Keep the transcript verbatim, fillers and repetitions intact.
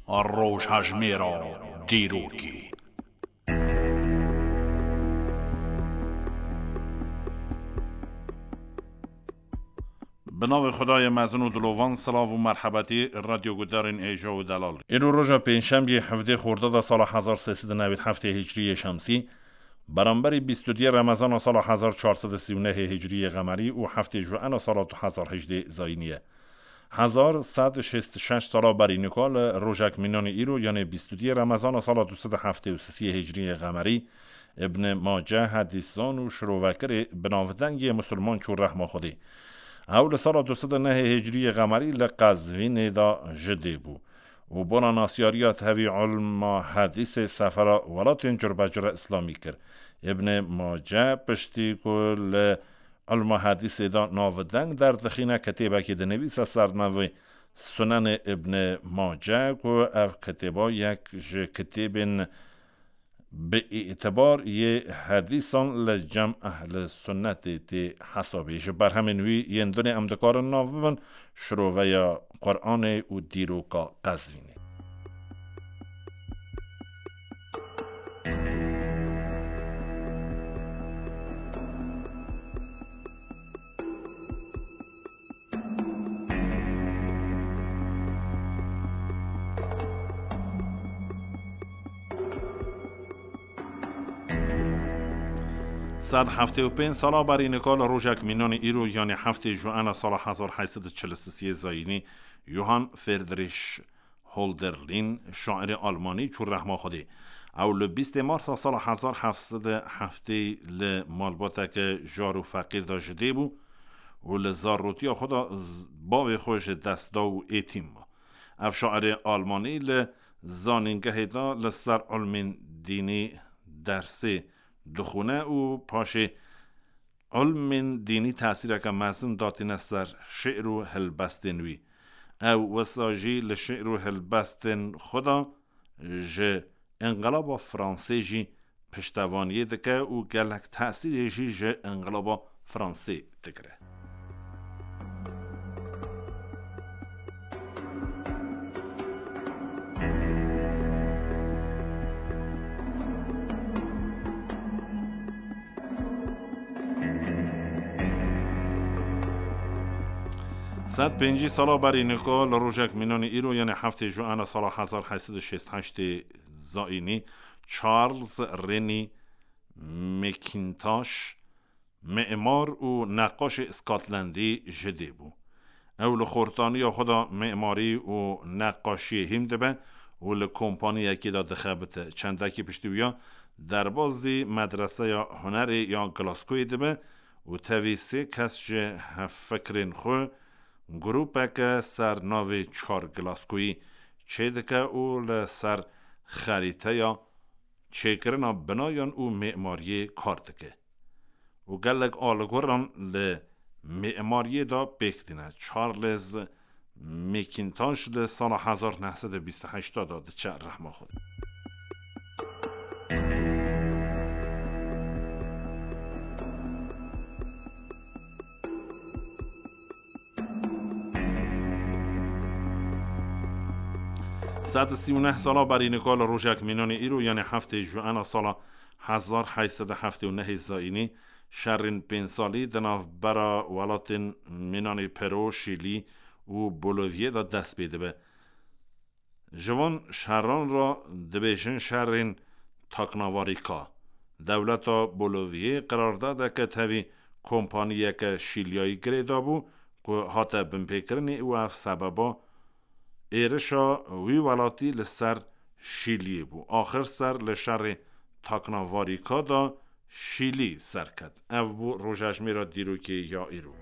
Rojhejmêra dîrokê. Bi navê Xwedayê mezin û dilovan, silav û merhebetî radyogudarên hêja û delal. Îro roja pêncşemiyê hevdê Xordada sala hezar sê sed û newî heftê Hicriyê Şemsî, beramberî bîst û duyê Remezana sala hezar çar sed û sî û nehê Hicriyê Qemerî û heftê Juena sala du hezar hejdê Zayînî ye. Hezar sed û şêst û şeş sala berî nika li rojek mînanî îro, yanê bîst û duyê Remezana sala du sed û heftê û sisiyê Hicriyê Qemerî, Ibn Mace hedîsan û şirovekerê binavdeng yê misilman çû rehma Xwedê. Ew li sala du sed û nehê Hicriyê Qemerî li Qezvînê de ji dê bû û bona nasiyariya tevî ilma hedîsê sefera welatên curbecure îslamî kir. Ibn Mace piştî ku li ilma hedîsê de navdeng derdixîne, kitêbekê dinivîse ser navê Sunenê Ibn Mace, ku ev kitêba yek ji kitêbên bi îtibar yê hedîsan li cem ehli sunnetê tê hesabê. Ji berhemên wî yên dinê em dikarin nav bibin şiroveya Quranê û dîroka Qezvînê. Sed heftê û pênc sala berî nika li rojek mînanî îro, yanê heftê Juena sala hezar heyt sed û çil û sisiyê Zayînî, Johann Friedrich Hölderlin, şairê almanî, çû rehma Xwedê. Ew li bîstê Marsa sala hezar heft sed û heftê li malbateke jar û feqîr de ji dê bû û li zarotiya xwe de z-, bavê xwe ji dest da û êtîm bû. Ev şairê almanî li zanîngehê de li ser ilmên dînî dersê dixwîne û paşê ilmên dînî tesîreke mezin datîne ser şi'r û helbestên wî. Ew wisa jî li şi'r û helbestên xwe de ji Înqilaba Fransê jî piştevaniyê dike û gelek tesîrê jî ji Înqilaba Fransê digire. Sed pêncî sala berî nika li rojek mînanî îro, yanê heftê Juena sala hezar heyt sed û şêst heştê Zayînî, Charles Rennie Mackintosh, mimar û neqaşê Scotlandî ji dê bû. Ew li xortaniya xwe de mimarî û neqaşiyê hîm dibe û li kompaniyekê de dixebite. Çendekî piştî wiya derbazî Medreseya Hunerê ya Glasgoyê dibe û tevî sê kes ji hevfikirên xwe grûpeke ser navê Çar Glasgoyî çêdike û li ser xerîteya çêkirina binayan û mimariyê kar dike û gelek aliguran li mimariyê de pêk tîne. Charles Mackintosh li sala hezar neh sed û bîst û heşt de diçe rehma Xwedê. Sed û sî û neh sala berî nika li rojek mînanê îro, yanê heftê Juena sala hezar heyt sed û heftê û nehê Zayînî, şerên pênc salî di navbera welatên mînanê Pero, Şîlî û Boliviyê de dest pê dibe. Ji van şeran re dibêjin şerên taknavarîka. Dewleta Boliviyê qirardadeke tevî kompaniyeke Şîliyayî girêdabû ku hate binpêkirinê û ev sebeba êrişa wî welatî li ser Şîliyê bû. Axir ser li şerê taknavarîka de Şîlî serket. Ev bû rojejmêra dîrokê ya îro.